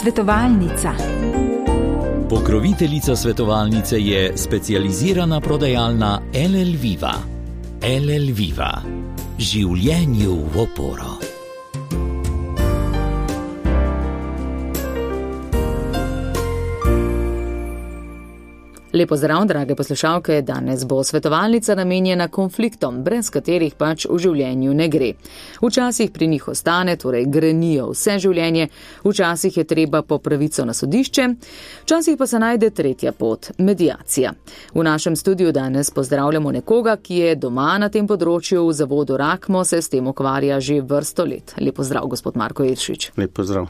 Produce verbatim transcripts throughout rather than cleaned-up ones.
Svetovalnica. Pokroviteljica svetovalnice je specializirana prodajalna L L Viva. L L Viva. Življenju v oporo. Lepo zdrav, drage poslušalke, danes bo svetovalnica namenjena konfliktom, brez katerih pač v življenju ne gre. Včasih pri njih ostane, torej grenijo vse življenje, včasih je treba po pravico na sodišče, včasih pa se najde tretja pot, mediacija. V našem studiu danes pozdravljamo nekoga, ki je doma na tem področju, v zavodu Rakmo se s tem ukvarja že vrsto let. Lepo zdrav, gospod Marko Jelšič. Lepo zdrav.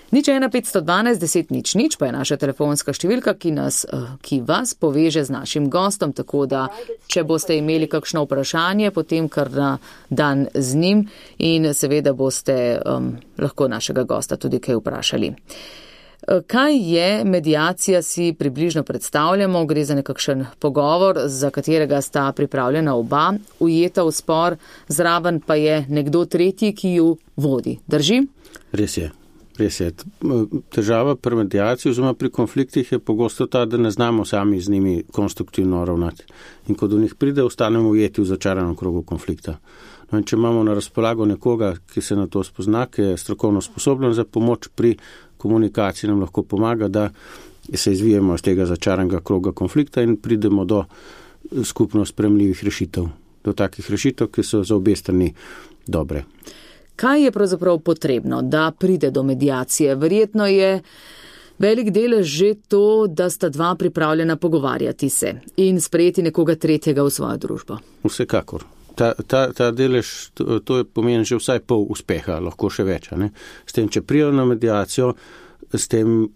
Nič ena petsto dvanajst deset nič nič pa je naša telefonska številka, ki, nas, ki vas poveže z našim gostom, tako da, če boste imeli kakšno vprašanje, potem kar na dan z njim in seveda boste um, lahko našega gosta tudi kaj vprašali. Kaj je mediacija, si približno predstavljamo, gre za nekakšen pogovor, za katerega sta pripravljena oba, ujeta v spor, zraven pa je nekdo tretji, ki ju vodi. Drži? Res je. Res je. Težava pri mediaciji oziroma pri konfliktih je pogosto ta, da ne znamo sami z njimi konstruktivno ravnati. In ko do njih pride, ostanemo ujeti v začaranem krogu konflikta. No in če imamo na razpolago nekoga, ki se na to spozna, ki je strokovno sposoben za pomoč pri komunikaciji, nam lahko pomaga, da se izvijemo iz tega začaranega kroga konflikta in pridemo do skupno sprejemljivih rešitev. Do takih rešitev, ki so za obe strani dobre. Kaj je pravzaprav potrebno, da pride do mediacije? Verjetno je velik delež že to, da sta dva pripravljena pogovarjati se in sprejeti nekoga tretjega v svojo družbo. Vsekakor. Ta, ta, ta delež, to, to je pomeni že vsaj pol uspeha, lahko še več. Ne? S tem, če prijajo na mediacijo, s tem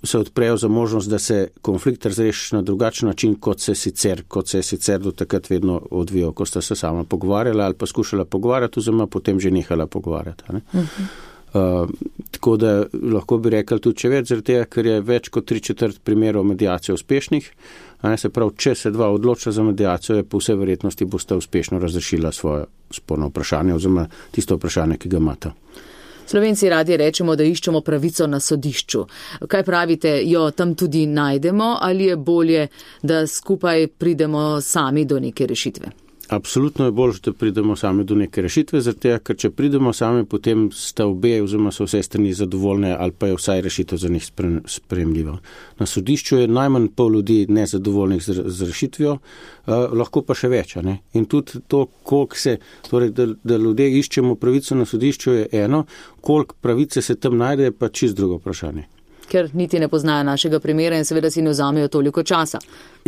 se odprejo za možnost, da se konflikt razreši na drugačen način, kot se sicer, kot se je sicer do takrat vedno odvijal, ko sta se sama pogovarjala ali pa skušala pogovarjati, oziroma potem že nehala pogovarjati. Ne? Uh-huh. Uh, tako da lahko bi rekli tudi če več, zaradi tega, ker je več kot tri četrt primerov mediacije uspešnih, a ne, se pravi, če se dva odloča za mediacijo, je po vsej verjetnosti bosta uspešno razrešila svoje sporno vprašanje oziroma tisto vprašanje, ki ga imata. Slovenci radi rečemo, da iščemo pravico na sodišču. Kaj pravite, jo tam tudi najdemo ali je bolje, da skupaj pridemo sami do neke rešitve? Absolutno je bolje, da pridemo sami do neke rešitve, zato ker če pridemo sami, potem sta obe oziroma so vse strani zadovoljne ali pa je vsaj rešitev za njih sprejemljiva. Na sodišču je najmanj pol ljudi nezadovoljnih z, z rešitvijo, uh, lahko pa še več. Ne? In tudi to, koliko se, torej, da, da ljudje iščemo pravico na sodišču je eno, koliko pravice se tam najde, je pa čist drugo vprašanje. Ker niti ne poznajo našega primera in seveda si ne vzamejo toliko časa.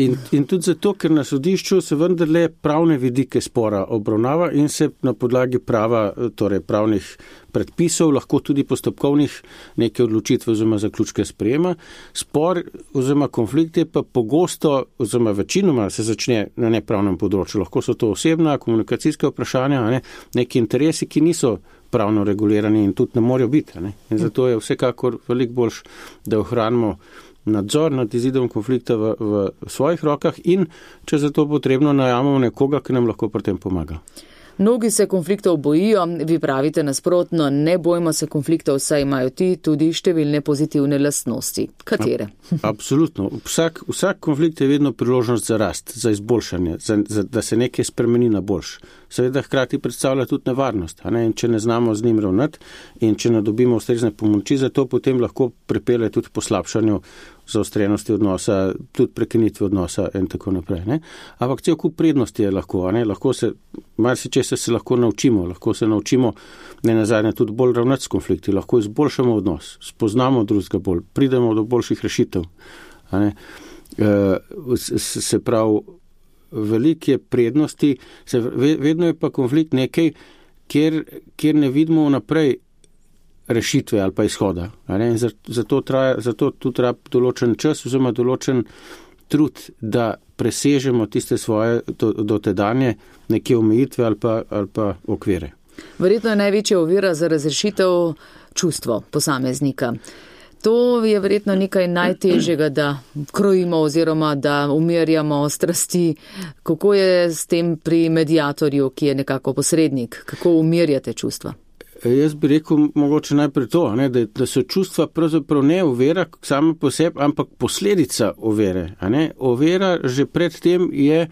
In, in tudi zato, ker na sodišču se vendarle pravne vidike spora obravnava in se na podlagi prava, torej pravnih predpisov, lahko tudi postopkovnih neke odločitve oziroma zaključke sprejema. Spor oziroma konflikt je pa pogosto oziroma večinoma se začne na nepravnem področju. Lahko so to osebna, komunikacijska vprašanja, ne, neki interesi, ki niso pravno regulirani in tudi ne morajo biti. Ne? In zato je vsekakor veliko boljš, da ohranimo nadzor nad izidom konflikta v, v svojih rokah in če za to potrebno najamemo nekoga, ki nam lahko pri tem pomaga. Mnogi se konfliktov bojijo, vi pravite nasprotno, ne bojmo se konfliktov, saj imajo ti tudi številne pozitivne lastnosti. Katere? Absolutno. Vsak, vsak konflikt je vedno priložnost za rast, za izboljšanje, za, za, da se nekaj spremeni na boljš. Seveda hkrati predstavlja tudi nevarnost, a ne? In če ne znamo z njim ravnati in če ne dobimo ustrezne pomoči, zato potem lahko pripelje tudi poslabšanju zaostrenosti odnosa, tudi prekinitve odnosa in tako naprej. Ne? Ampak cel kup prednosti je lahko, a ne? Lahko se, marsičesa se lahko naučimo, lahko se naučimo ne nazadnje tudi bolj ravnati s konflikti, lahko izboljšamo odnos, spoznamo drugega bolj, pridemo do boljših rešitev. A ne? E, se pravi, veliko je prednosti, se, vedno je pa konflikt nekaj, kjer, kjer ne vidimo vnaprej rešitve ali pa izhoda. Zato, traja, zato tu treba določen čas oziroma določen trud, da presežemo tiste svoje dotedanje neke omejitve ali pa, ali pa okvire. Verjetno je največja ovira za razrešitev čustvo posameznika. To je verjetno nekaj najtežjega, da krojimo oziroma da umirjamo strasti. Kako je s tem pri mediatorju, ki je nekako posrednik? Kako umirjate čustva? Jaz bi rekel mogoče najprej to, ne, da, da so čustva pravzaprav ne ovira sama po sebi, ampak posledica ovire. Ovira že predtem je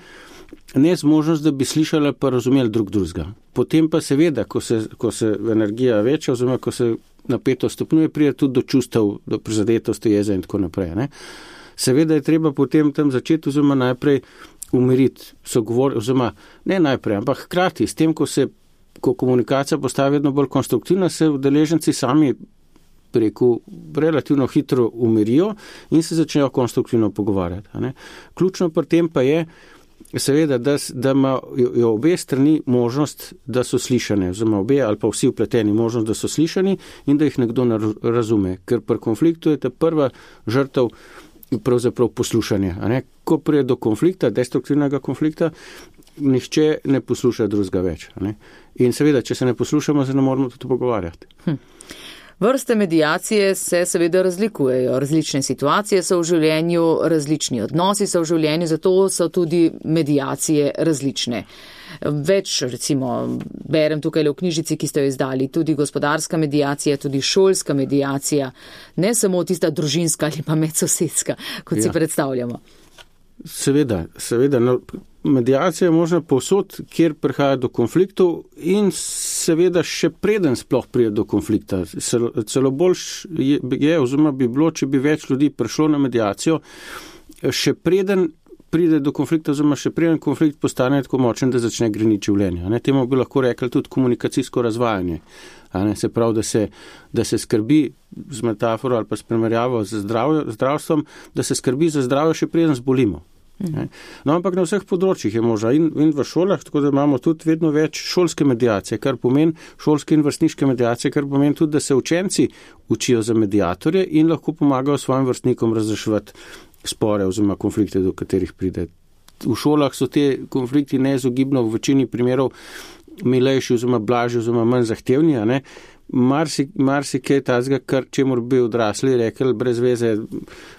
nezmožnost, da bi slišali pa razumeli drug drugega. Potem pa seveda, ko se, ko se energija veča, oziroma ko se napetost stopnjuje, pride tudi do čustev, do prizadetosti, jeze in tako naprej. Ne. Seveda je treba potem tam začeti, oziroma najprej umiriti sogovor, oziroma ne najprej, ampak hkrati s tem, ko se ko komunikacija postaja vedno bolj konstruktivna, se udeleženci sami preko relativno hitro umirijo in se začnejo konstruktivno pogovarjati. Ne. Ključno pri tem pa je, seveda, da, da imajo obe strani možnost, da so slišane, oziroma obe ali pa vsi vpleteni možnost, da so slišani in da jih nekdo razume. Ker pri konfliktu je ta prva žrtev pravzaprav poslušanje. A ne. Ko prije do konflikta, destruktivnega konflikta, nihče ne posluša drugega več. Ne? In seveda, če se ne poslušamo, se ne moramo tudi pogovarjati. Hm. Vrste mediacije se seveda razlikujejo. Različne situacije so v življenju, različni odnosi so v življenju, zato so tudi mediacije različne. Več, recimo, berem tukaj v knjižici, ki ste jo izdali, tudi gospodarska mediacija, tudi šolska mediacija, ne samo tista družinska ali pa medsosedska, kot ja. si predstavljamo. Seveda, seveda. No, mediacija je možna povsod, kjer prihaja do konfliktov in seveda še preden sploh pride do konflikta. Celo bolj je, je, oziroma bi bilo, če bi več ljudi prišlo na mediacijo, še preden pride do konflikta, oziroma še preden konflikt postane tako močen, da začne greniti življenje. Ne, temu bi lahko rekli tudi komunikacijsko razvajanje. Ne, se pravi, da se, da se skrbi z metaforo ali pa s primerjavo z zdravjo, zdravstvom, da se skrbi za zdravje še preden zbolimo. Ne. No, ampak na vseh področjih je možno in, in v šolah, tako da imamo tudi vedno več šolske mediacije, kar pomeni šolske in vrstniške mediacije, kar pomeni tudi, da se učenci učijo za mediatorje in lahko pomagajo svojim vrstnikom razreševati spore oziroma konflikte, do katerih pride. V šolah so te konflikti neizogibno v večini primerov milejši oziroma blažji oziroma manj zahtevni, a ne. Marsi, marsi kaj tazga, kar čemur bi odrasli rekli, brez veze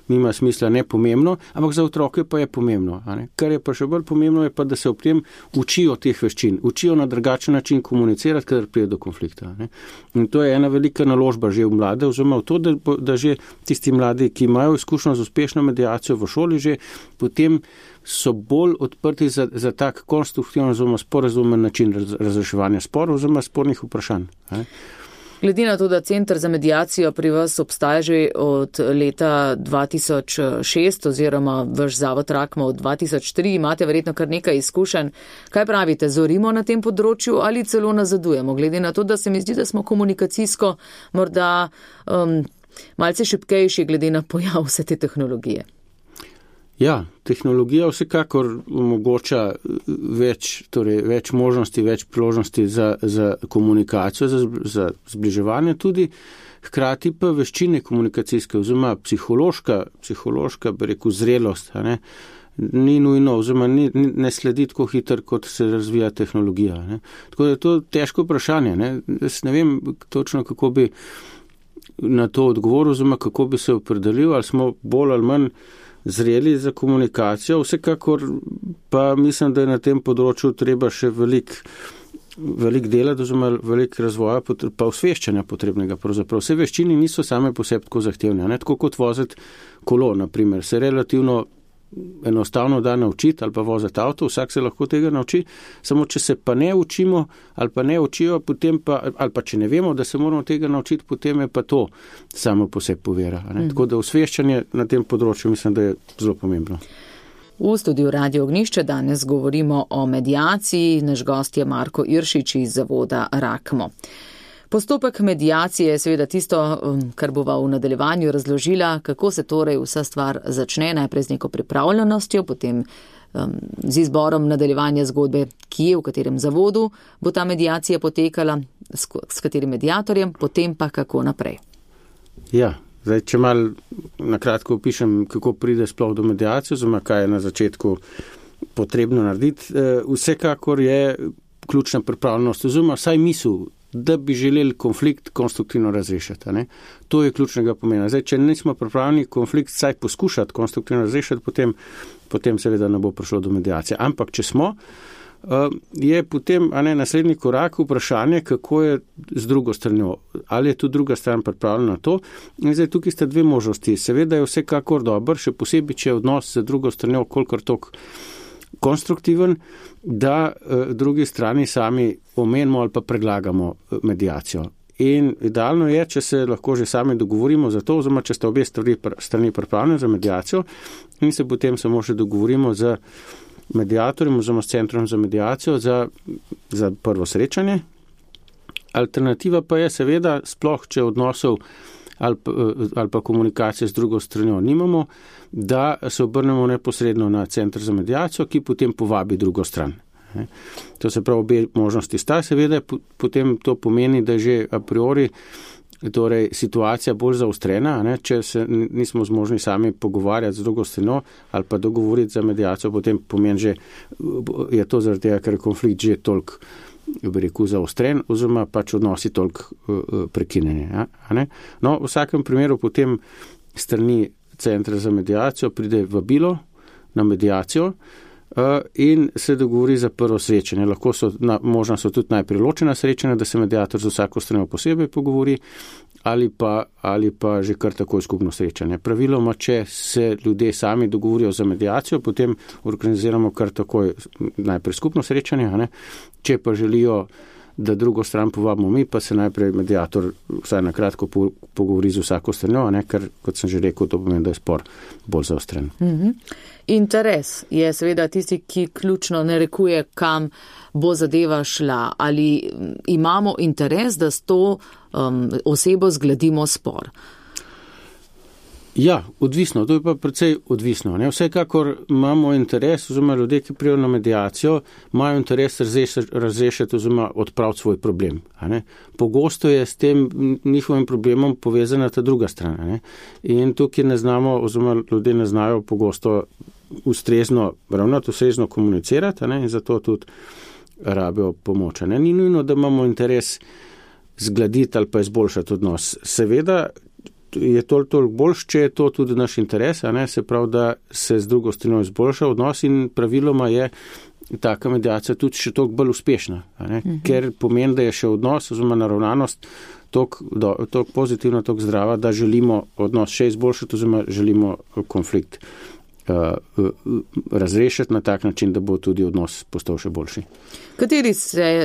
nima smisla, ne pomembno, ampak za otroke pa je pomembno. A ne? Kar je pa še bolj pomembno, je pa, da se ob tem učijo teh veščin, učijo na drugačen način komunicirati, kadar pride do konflikta. Ne? In to je ena velika naložba že v mlade, oziroma v to, da, da že tisti mladi, ki imajo izkušnjo z uspešno mediacijo v šoli, že potem so bolj odprti za, za tak konstruktivno oziroma sporazumen način raz, razreševanja sporov oziroma spornih vprašanj. Ne? Glede na to, da Center za mediacijo pri vas obstaja že od leta dva tisoč šest oziroma vaš zavod Rakmo od dva tisoč tri, imate verjetno kar nekaj izkušenj. Kaj pravite, zorimo na tem področju ali celo nazadujemo? Glede na to, da se mi zdi, da smo komunikacijsko morda um, malce šibkejši glede na pojav vse te tehnologije. Ja, tehnologija vsekakor omogoča več, torej več možnosti, več priložnosti za, za komunikacijo, za, za zbliževanje tudi, hkrati pa veščine komunikacijske, oziroma psihološka, psihološka, bi rekel, zrelost, a ne, ni nujno, oziroma ni, ne sledi tako hitro, kot se razvija tehnologija. Ne. Tako da je to težko vprašanje. Ne. Jaz ne vem točno, kako bi na to odgovoril, oziroma kako bi se opredelil, ali smo bolj ali manj zreli za komunikacijo, vsekakor pa mislim, da je na tem področju treba še velik, velik dela, oziroma velik razvoja, pa osveščanja potrebnega. Pravzaprav vse veščine niso same po sebi tako zahtevne, ne? Tako kot voziti kolo, na primer, se relativno enostavno da naučiti ali pa voziti avto, vsak se lahko tega nauči, samo če se pa ne učimo ali pa ne učijo, potem pa, ali pa če ne vemo, da se moramo tega naučiti, potem je pa to samo po sebi povera. Mm. Tako da osveščanje na tem področju mislim, da je zelo pomembno. V studiu Radio Ognjišče danes govorimo o mediaciji, naš gost je Marko Iršič iz zavoda Rakmo. Postopek mediacije je seveda tisto, kar bova v nadaljevanju razložila, kako se torej vsa stvar začne, najprej z neko pripravljenostjo, potem um, z izborom nadaljevanja zgodbe, kje, v katerem zavodu bo ta mediacija potekala, s, s katerim mediatorjem, potem pa kako naprej. Ja, zdaj, če malo nakratko opišem, kako pride sploh do mediacije, oziroma kaj je na začetku potrebno narediti. Vsekakor je ključna pripravljenost, oziroma vsaj misel, da bi želeli konflikt konstruktivno razrešiti. Ne? To je ključnega pomena. Zdaj, če nismo pripravljeni konflikt saj poskušati konstruktivno razrešiti, potem, potem seveda ne bo prišlo do mediacije. Ampak, če smo, je potem a ne, naslednji korak vprašanje, kako je z drugo stranjo. Ali je tu druga stran pripravljena na to? In zdaj tukaj sta dve možnosti. Seveda je vsekakor dober, še posebej, če je odnos z drugo stranjo kolikor tok konstruktiven, da drugi strani sami omenimo ali pa predlagamo mediacijo. In idealno je, če se lahko že sami dogovorimo za to, oziroma če sta obe strani pripravljene za mediacijo in se potem samo še dogovorimo z mediatorjem oziroma s centrom za mediacijo za, za prvo srečanje. Alternativa pa je seveda, sploh če odnosov ali pa, ali pa komunikacije z drugo stranjo nimamo, da se obrnemo neposredno na centr za mediacijo, ki potem povabi drugo stran. To se pravi, obe možnosti sta, seveda potem to pomeni, da že a priori torej, situacija bolj zaostrena, ne? Če se nismo zmožni sami pogovarjati z drugo stranjo ali pa dogovoriti za mediacijo, potem pomeni že, je to zaradi tega, ker je konflikt že toliko, bi rekel, zaostren oziroma pač odnosi toliko uh, prekinjeni. Ja? No, v vsakem primeru potem strani centra za mediacijo pride vabilo na mediacijo in se dogovori za prvo srečanje. Lahko so, na, možno so tudi najprej ločena srečanja, da se mediator z vsako stranjo posebej pogovori ali pa, ali pa že kar takoj skupno srečanje. Praviloma, če se ljudje sami dogovorijo za mediacijo, potem organiziramo kar takoj najprej skupno srečanje, ne? Če pa želijo, da drugo stran povabimo mi, pa se najprej mediator vsaj na kratko pogovori z vsako stranjo, ne? Ker, kot sem že rekel, to pomeni, da je spor bolj zaostren. Mm-hmm. Interes je seveda tisti, ki ključno narekuje, kam bo zadeva šla. Ali imamo interes, da s to um, osebo zgladimo spor? Ja, odvisno. To je pa precej odvisno. Ne? Vsekakor imamo interes, oziroma ljudje, ki prijo na mediacijo, imajo interes razrešiti oziroma odpraviti svoj problem. Pogosto je s tem njihovim problemom povezana ta druga strana. Ne? In tukaj ne znamo, oziroma ljudje ne znajo pogosto ustrezno ravnati, ustrezno komunicirati, ne? In zato tudi rabijo pomoč. Ne? Ni nujno, da imamo interes zgladiti ali pa izboljšati odnos. Seveda je toliko toliko boljš, če je to tudi naš interes, a ne? Se pravi, da se z drugo strano izboljša odnos in praviloma je taka mediacija tudi še toliko bolj uspešna, a ne? Mhm. Ker pomeni, da je še odnos oziroma naravnanost toliko pozitivna, toliko zdrava, da želimo odnos še izboljšati oziroma želimo konflikt Uh, uh, razrešiti na tak način, da bo tudi odnos postal še boljši. Kateri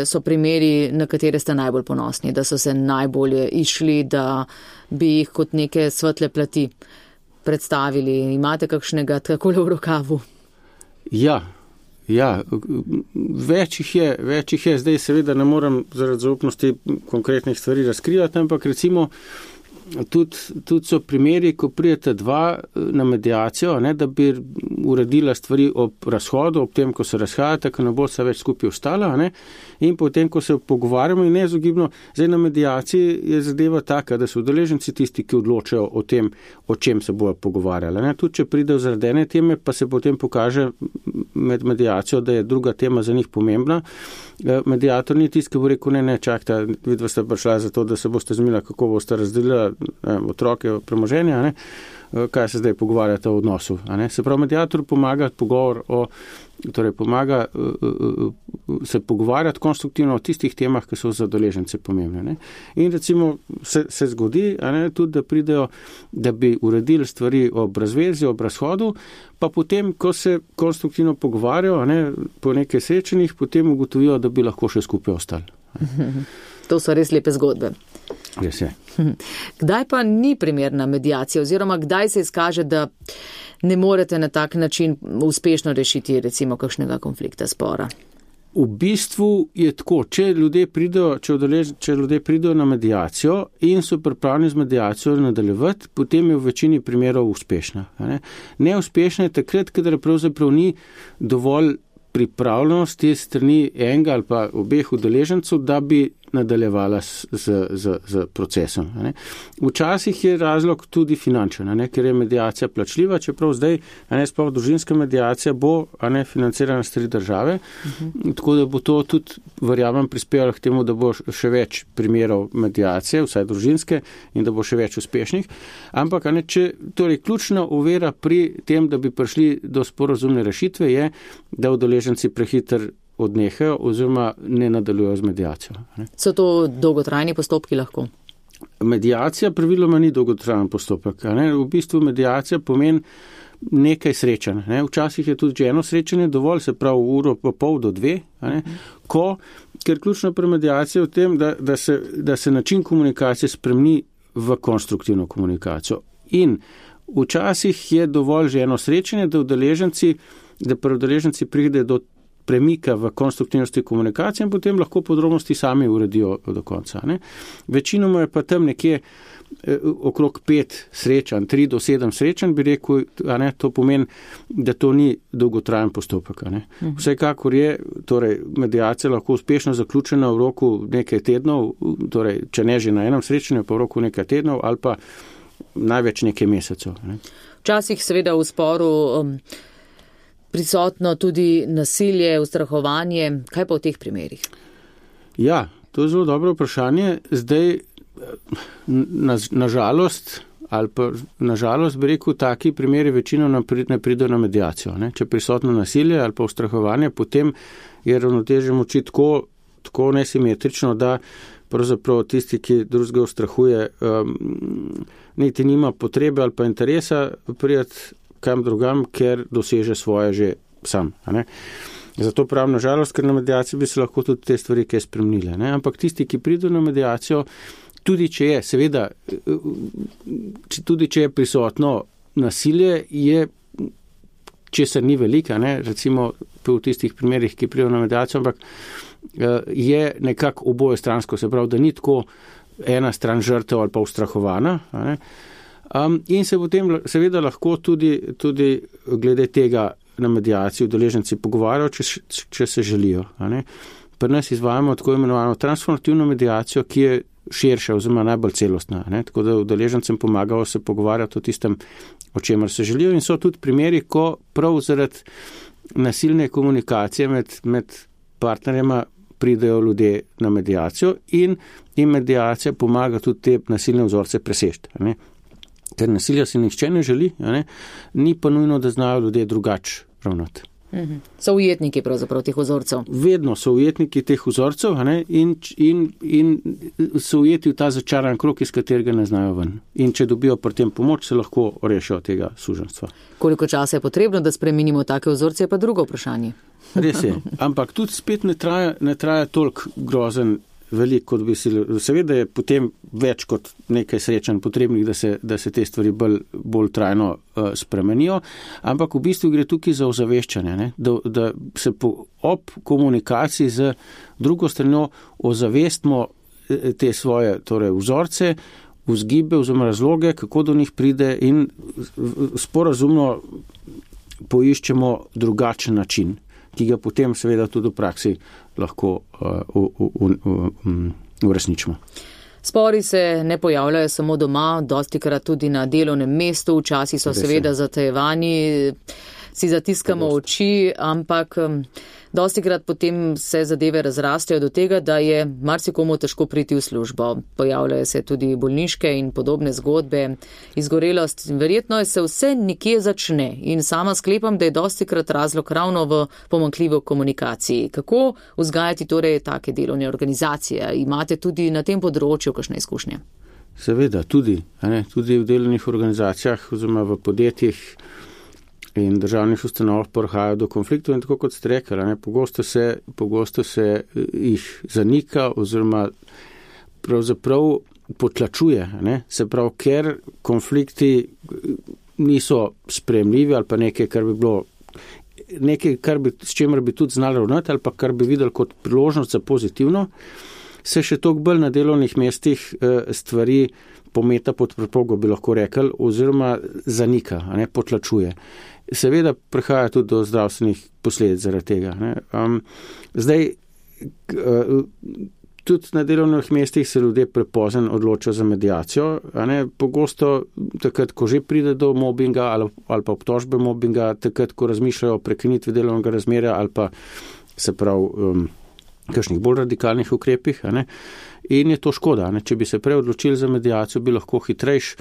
so primeri, na katere ste najbolj ponosni, da so se najbolje išli, da bi jih kot neke svetle plati predstavili? Imate kakšnega takole v rokavu? Ja, ja, več jih je, več jih je. Zdaj seveda ne morem zaradi zaupnosti konkretnih stvari razkrivati, ampak recimo Tudi, tudi so primeri, ko prijete dva na mediacijo, ne, da bi uredila stvari ob razhodu, ob tem, ko se razhajate, ko ne bo se več skupaj ostala, ne, in potem, ko se pogovarjamo in nezogibno, zdaj na mediaciji je zadeva taka, da so udeleženci tisti, ki odločajo o tem, o čem se bojo pogovarjali. Ne. Tudi, če pridejo zaradi ene teme, pa se potem pokaže med mediacijo, da je druga tema za njih pomembna. Mediator ni tisti, ki bo rekel, ne, ne, čakajte, vidva ste prišla za to, da se boste zmenila, kako boste razdelila otroke premoženja, ne? Kaj se zdaj pogovarjate o odnosu. Ne? Se pravi, mediator pomaga pogovor o, torej pomaga se pogovarjati konstruktivno o tistih temah, ki so za udeležence pomembne. Ne? In recimo se, se zgodi, a ne, tudi, da pridejo, da bi uredili stvari ob razvezi, ob razhodu, pa potem, ko se konstruktivno pogovarjajo, a ne, po nekaj srečanjih, potem ugotovijo, da bi lahko še skupaj ostali. To so res lepe zgodbe. Res je. Kdaj pa ni primerna mediacija oziroma kdaj se izkaže, da ne morete na tak način uspešno rešiti recimo kakšnega konflikta, spora? V bistvu je tako, če ljudje pridejo, če udelež, če ljudje pridejo na mediacijo in so pripravljeni z mediacijo nadaljevati, potem je v večini primerov uspešna. Ne? Neuspešna je takrat, kadar pravzaprav ni dovolj pripravljenosti strani enega ali pa obeh udeležencev, da bi nadaljevala z, z, z procesom. Ne. Včasih je razlog tudi finančen, ne, ker je mediacija plačljiva, čeprav zdaj, a ne, sploh družinska mediacija bo, a ne, financirana s tri države, uh-huh. Tako da bo to tudi, verjamem, prispevalo k temu, da bo še več primerov mediacije, vsaj družinske, in da bo še več uspešnih. Ampak, a ne, če, torej, ključna ovira pri tem, da bi prišli do sporazumne rešitve, je, da udeleženci prehiter odnehajo oziroma ne nadaljujejo z mediacijo. Ne. So to dolgotrajni postopki lahko? Mediacija praviloma ni dolgotrajen postopek. Ne. V bistvu mediacija pomeni nekaj srečanj. Ne. Včasih je tudi že eno srečanje dovolj, se pravi uro pa pol do dve, ne. Ko, ker ključno pri mediaciji je v tem, da, da, se, da se način komunikacije spremeni v konstruktivno komunikacijo. In včasih je dovolj že eno srečanje, da udeleženci, da pri udeleženci pride do premika v konstruktivnosti komunikacije in potem lahko podrobnosti sami uredijo do konca. Ne. Večinoma je pa tam nekje eh, okrog pet srečanj, tri do sedem srečanj, bi rekel, a ne, to pomeni, da to ni dolgotrajen postopek. A ne. Vsekakor je, torej, mediacija lahko uspešno zaključena v roku nekaj tednov, torej, če ne že na enem srečanju, pa v roku nekaj tednov ali pa največ nekaj mesecev. Ne. Včasih seveda v sporu um, prisotno tudi nasilje, ustrahovanje. Kaj pa v teh primerih? Ja, to je zelo dobro vprašanje. Zdaj, na, na žalost, ali pa na žalost bi rekel, taki primeri večino ne pridejo na mediacijo. Ne? Če je prisotno nasilje ali pa ustrahovanje, potem je ravnotežje moči tako, tako nesimetrično, da pravzaprav tisti, ki drugega ustrahuje, um, niti nima potrebe ali pa interesa prijeti kam drugam, ker doseže svoje že sam. Ne? Zato pravim, nažalost, ker na mediaciji bi se lahko tudi te stvari kaj spremenile. Ne? Ampak tisti, ki pridejo na mediacijo, tudi če je, seveda, tudi če je prisotno nasilje, je, če se ni velika, ne? Recimo v tistih primerih, ki pridejo na mediacijo, ampak je nekako oboje stransko, se pravi, da ni tako ena stran žrtev ali pa ustrahovana. Ne? Um, in se potem seveda lahko tudi, tudi glede tega na medijaciji udeleženci pogovarjajo, če, če se želijo. Pri nas izvajamo tako imenovano transformativno medijacijo, ki je širša oziroma najbolj celostna. Ne? Tako da udeležencem pomagajo se pogovarjati o tistem, o čemer se želijo. In so tudi primeri, ko prav zaradi nasilne komunikacije med, med partnerjema pridejo ljudje na medijacijo in, in medijacija pomaga tudi te nasilne vzorce presežiti. Ker nasilja si nihče ne želi, ne? Ni pa nujno, da znajo ljudje drugače ravnati. Mhm. So ujetniki pravzaprav teh vzorcev? Vedno so ujetniki teh vzorcev in, in, in so ujeti v ta začaran krog, iz katerega ne znajo ven. In če dobijo pri tem pomoč, se lahko rešijo tega suženjstva. Koliko časa je potrebno, da spremenimo take vzorce, je pa drugo vprašanje. Res je, ampak tudi spet ne traja, ne traja toliko grozen velik, kot bi si, seveda je potem več kot nekaj srečanj potrebnih, da se, da se te stvari bolj, bolj trajno uh, spremenijo, ampak v bistvu gre tukaj za ozaveščanje, ne? Da, da se po, ob komunikaciji z drugo stranjo ozavestimo te svoje torej, vzorce, vzgibe oziroma razloge, kako do njih pride in sporazumno poiščemo drugačen način, ki ga potem seveda tudi v praksi lahko uresničimo. Spori se ne pojavljajo samo doma, dostikrat tudi na delovnem mestu, včasih so seveda zatajevani, si zatiskamo oči, ampak dostikrat potem se zadeve razrastejo do tega, da je marsikomu težko priti v službo. Pojavljajo se tudi bolniške in podobne zgodbe, izgorelost. Verjetno se vse nekje začne in sama sklepam, da je dostikrat razlog ravno v pomanjkljivi komunikaciji. Kako vzgajati torej take delovne organizacije? Imate tudi na tem področju kakšne izkušnje? Seveda, tudi, ne, tudi v delovnih organizacijah oziroma v podjetjih in državnih ustanovah prihajajo do konfliktov in tako kot ste rekli, ne, pogosto se, pogosto se jih zanika oziroma pravzaprav potlačuje, ne, se pravi, ker konflikti niso sprejemljivi ali pa nekaj, kar bi bilo, nekaj, kar bi, s čemer bi tudi znali ravnati ali pa kar bi videli kot priložnost za pozitivno, se še toliko bolj na delovnih mestih stvari pometa pod preprogo, bi lahko rekli, oziroma zanika, ne, potlačuje. Seveda prihaja tudi do zdravstvenih posledic zaradi tega. Ne. Um, zdaj, tudi na delovnih mestih se ljudje prepozno odločajo za mediacijo, a ne, pogosto takrat, ko že pride do mobinga ali, ali pa obtožbe mobinga, takrat, ko razmišljajo o prekinitvi delovnega razmerja ali pa se pravi um, kakšnih bolj radikalnih ukrepih, a ne. In je to škoda, ne? Če bi se prej odločili za mediacijo, bi lahko hitrejš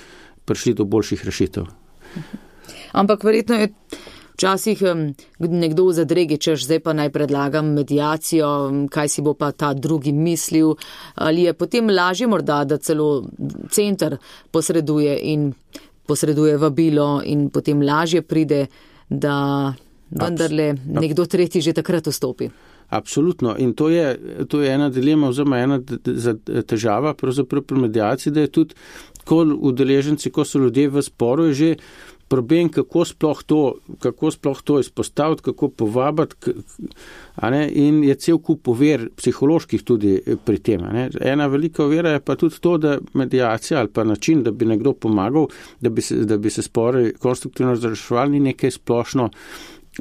prišli do boljših rešitev. Ampak verjetno je Včasih nekdo v zadregi, češ zdaj pa naj predlagam mediacijo, kaj si bo pa ta drugi mislil, ali je potem lažje morda, da celo center posreduje in posreduje vabilo in potem lažje pride, da vendarle nekdo tretji že takrat vstopi. Absolutno. In to je, to je ena dilema, oziroma ena težava pravzaprav pri mediaciji, da je tudi, ko udeleženci, ko so ljudje v sporu, je že problem, kako sploh to, kako sploh to izpostaviti, kako povabiti, a ne, in je cel kup ovir psiholoških tudi pri tem. A ne. Ena velika ovira je pa tudi to, da mediacija ali pa način, da bi nekdo pomagal, da bi se, da bi se spori konstruktivno razreševali, ni nekaj splošno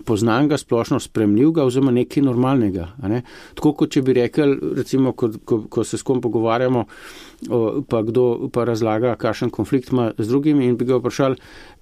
poznanega, splošno spremljivega oziroma nekaj normalnega. A ne? Tako kot če bi rekel, recimo, ko, ko, ko se s kom pogovarjamo, o, pa kdo pa razlaga, kakšen konflikt ima z drugimi in bi ga vprašali,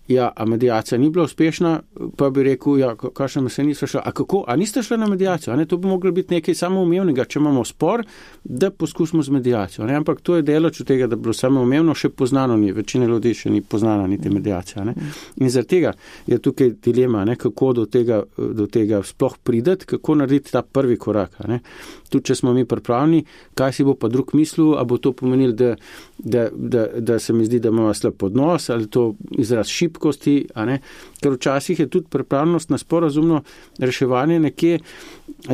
ja, a mediacija ni bila uspešna, pa bi rekel, ja, kakšen se niste šla, a kako, a niste šli na mediacijo, a ne, to bi moglo biti nekaj samoumevnega, če imamo spor, da poskusimo z mediacijo, ne, ampak to je deleč od tega, da bi bilo samoumevno, še poznano ni, večina ljudi še ni poznana niti mediacija, ne, in zaradi tega je tukaj dilema, ne, kako do tega, do tega sploh prideti, kako narediti ta prvi korak, ne, tudi če smo mi pripravljeni, kaj si bo pa drug mislil, a bo to pomenil, da, da, da, da se mi zdi, da imamo slab odnos, ali to izraz šibkosti, a ne, ker včasih je tudi pripravljenost na sporazumno reševanje nekje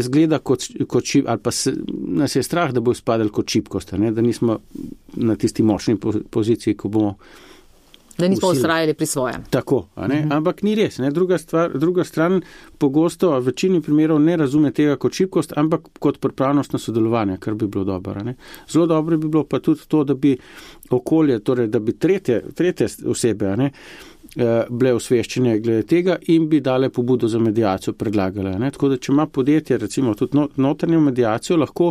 zgleda kot, kot šib, ali pa se, nas je strah, da bo izpadel kot šibkost, a ne, da nismo na tisti močni poziciji, ko bomo da nismo ustrajali pri svojem. Tako, a ne? Uh-huh. Ampak ni res. Ne? Druga, stvar, druga stran pogosto v večini primerov ne razume tega kot šibkost, ampak kot pripravnost na sodelovanje, kar bi bilo dobro. Ne? Zelo dobro bi bilo pa tudi to, da bi okolje, torej da bi tretje, tretje osebe, a ne, bile osveščene glede tega in bi dale pobudo za mediacijo predlagale. Ne? Tako da, če ima podjetje recimo tudi notranjo mediacijo, lahko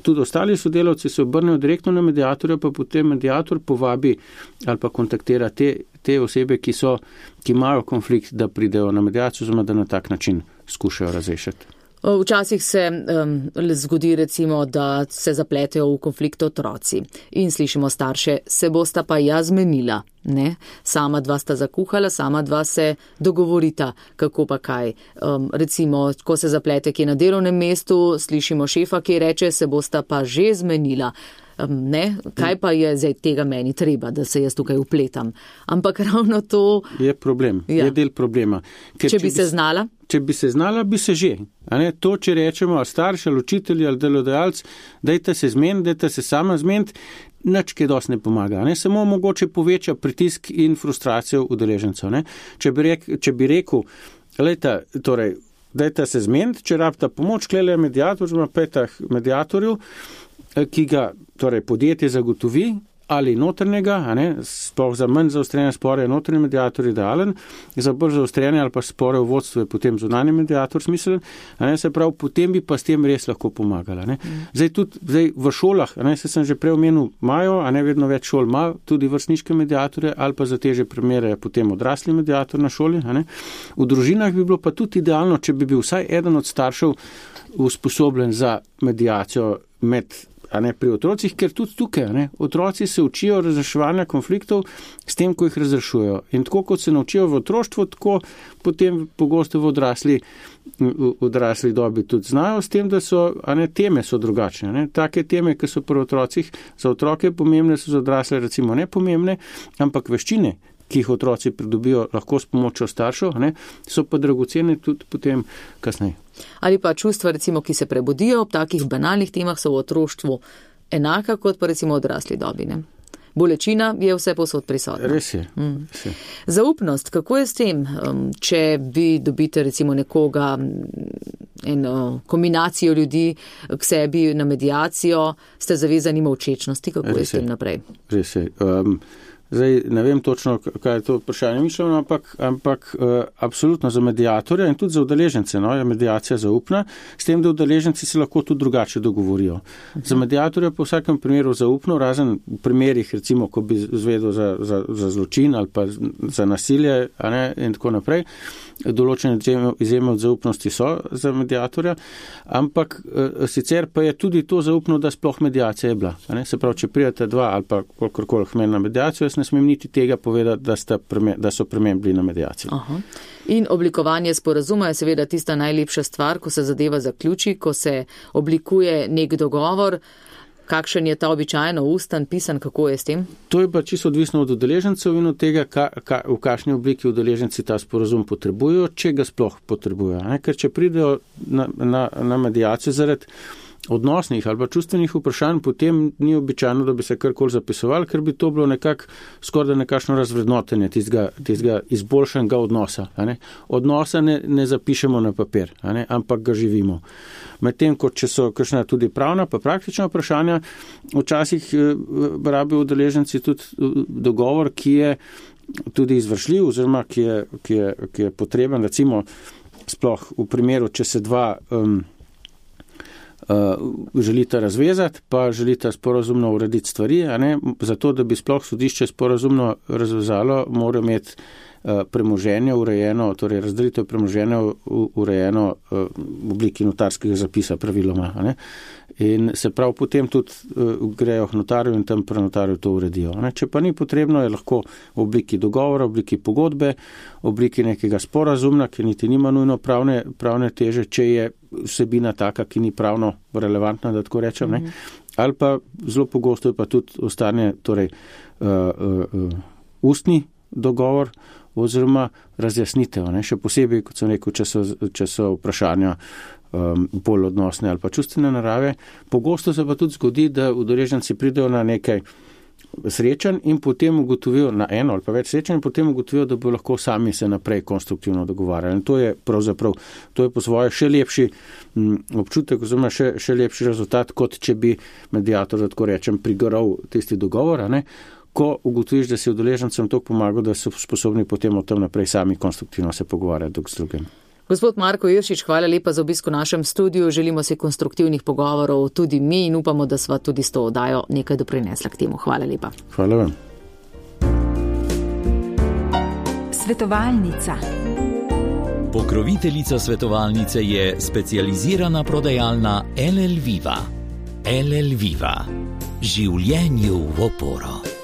tudi ostali sodelavci se obrnejo direktno na mediatorja, pa potem mediator povabi ali pa kontaktira te, te osebe, ki so, ki imajo konflikt, da pridejo na mediacijo, oziroma da na tak način skušajo razrešiti. Včasih se um, zgodi recimo, da se zapletejo v konflikt otroci in slišimo starše, se bosta pa ja zmenila, ne? Sama dva sta zakuhala, sama dva se dogovorita, kako pa kaj. Um, recimo, ko se zaplete kje na delovnem mestu, slišimo šefa, ki reče, se bosta pa že zmenila. Um, ne, kaj pa je zdaj tega meni treba, da se jaz tukaj upletam. Ampak ravno to je problem, ja. Je del problema. Ker če, če bi se znala? Če bi se znala, bi se že. A ne, to, če rečemo, ali starš, ali učitelj, ali delodajalec, dajte se zmeniti, dajte se sama zmeniti, nič kaj dosti ne pomaga. Ne? Samo mogoče poveča pritisk in frustracijo udeležencev. Ne? Če bi, rek, če bi rekel, lejta, torej, dajte se zmeniti, če rabita pomoč, klele mediator, oziroma petah mediatorju, ki ga torej, podjetje zagotovi, ali notrnega, a ne, sploh za manj zaostrene spore je notrni mediator idealen, za bolj zaostrene ali pa spore v vodstvu je potem zunanji mediator smiselen, a ne, se pravi, potem bi pa s tem res lahko pomagala. Ne. Zdaj tudi zdaj v šolah, a ne, se sem že prej omenil, imajo, a ne vedno več šol ima tudi vrstniške mediatorje ali pa za težje primere je potem odrasli mediator na šoli. A ne. V družinah bi bilo pa tudi idealno, če bi bil vsaj eden od staršev usposobljen za mediacijo med a ne pri otrocih, ker tudi tukaj, a ne, otroci se učijo razreševanja konfliktov s tem, ko jih razrešujejo. In tako, kot se naučijo v otroštvu, tako potem pogosto v odrasli, v odrasli dobi tudi znajo s tem, da so, a ne, teme so drugačne. Ne. Take teme, ki so pri otrocih za otroke pomembne, so za odrasle recimo nepomembne, ampak veščine, ki jih otroci pridobijo lahko s pomočjo staršev, ne, so pa dragocene tudi potem kasneje. Ali pa čustva, recimo, ki se prebudijo ob takih banalnih temah, so v otroštvu enaka kot pa recimo odrasli dobi. Ne? Bolečina je vse povsod prisotna. Res je. Mm. Res je. Zaupnost, kako je s tem, če vi dobite recimo nekoga, eno kombinacijo ljudi k sebi na mediacijo, ste zavezani molčečnosti, kako Res je s tem naprej? Res je. Um, Zdaj, ne vem točno, kaj je to vprašanje mišljeno, ampak, ampak uh, absolutno za mediatorja in tudi za udeležence, no, je mediacija zaupna, s tem, da udeleženci se lahko tudi drugače dogovorijo. Uh-huh. Za mediatorja po vsakem primeru zaupno, razen v primerih, recimo, ko bi zvedel za, za, za zločin ali pa za nasilje, a ne, in tako naprej, določene izjeme od zaupnosti so za mediatorja, ampak uh, sicer pa je tudi to zaupno, da sploh mediacija je bila. A ne? Se pravi, če prijete dva ali pa kolikorkoli meni na mediacijo, jaz ne smem niti tega povedati, da, sta preme, da so premembili na mediaciji. Aha. In oblikovanje sporazuma je seveda tista najlepša stvar, ko se zadeva zaključi, ko se oblikuje nek dogovor. Kakšen je ta običajno ustan, pisan, kako je s tem? To je pa čisto odvisno od udeležencev in od tega, ka, ka, v kakšni obliki udeleženci ta sporazum potrebujejo, če ga sploh potrebujejo. Ne? Ker če pridejo na, na, na mediacijo zaradi odnosnih ali pa čustvenih vprašanj, potem ni običajno, da bi se karkoli zapisovali, ker bi to bilo nekako skoraj nekakšno razvrednotenje tistega, tistega izboljšanega odnosa. Ne? Odnosa ne, ne zapišemo na papir, ne? Ampak ga živimo. Medtem, kot če so kakšna tudi pravna pa praktična vprašanja, včasih rabijo udeleženci tudi dogovor, ki je tudi izvršljiv oziroma ki je, ki je, ki je potreben, recimo sploh v primeru, če se dva um, Uh, želita razvezati, pa želita sporazumno urediti stvari, a ne, zato, da bi sploh sodišče sporazumno razvezalo, mora imeti uh, premoženje urejeno, torej razdelitev premoženja urejeno uh, v obliki notarskega zapisa praviloma, a ne. In se prav potem tudi uh, grejo k notarju in tam pri notarju to uredijo. Ne. Če pa ni potrebno, je lahko v obliki dogovora, v obliki pogodbe, v obliki nekega sporazumna, ki niti nima nujno pravne, pravne teže, če je vsebina taka, ki ni pravno relevantna, da tako rečem. Ne. Ali pa zelo pogosto je pa tudi ostane torej, uh, uh, uh, ustni dogovor oziroma razjasnitev. Ne. Še posebej, kot sem rekel, če so, če so vprašanja um, bolj odnosne ali pa čustvene narave. Pogosto se pa tudi zgodi, da udeleženci pridejo na nekaj srečanj in potem ugotovijo na eno ali pa več srečanj in potem ugotovijo, da bo lahko sami se naprej konstruktivno dogovarjali. In to je pravzaprav, to je po svoje še lepši m, občutek oziroma še, še lepši rezultat, kot če bi mediator, da tako rečem, prigoral tisti dogovor, a ne? Ko ugotoviš, da si udeležencem to pomaga, da so sposobni potem o tem naprej sami konstruktivno se pogovarjati drug z drugim. Gospod Marko Iršič, hvala lepa za obisk v našem studiu. Želimo si konstruktivnih pogovorov tudi mi in upamo, da sva tudi s to oddajo nekaj doprinesla k temu. Hvala lepa. Hvala vam. Svetovalnica. Pokroviteljica svetovalnice je specializirana prodajalna L L Viva. L L Viva. Življenju v oporo.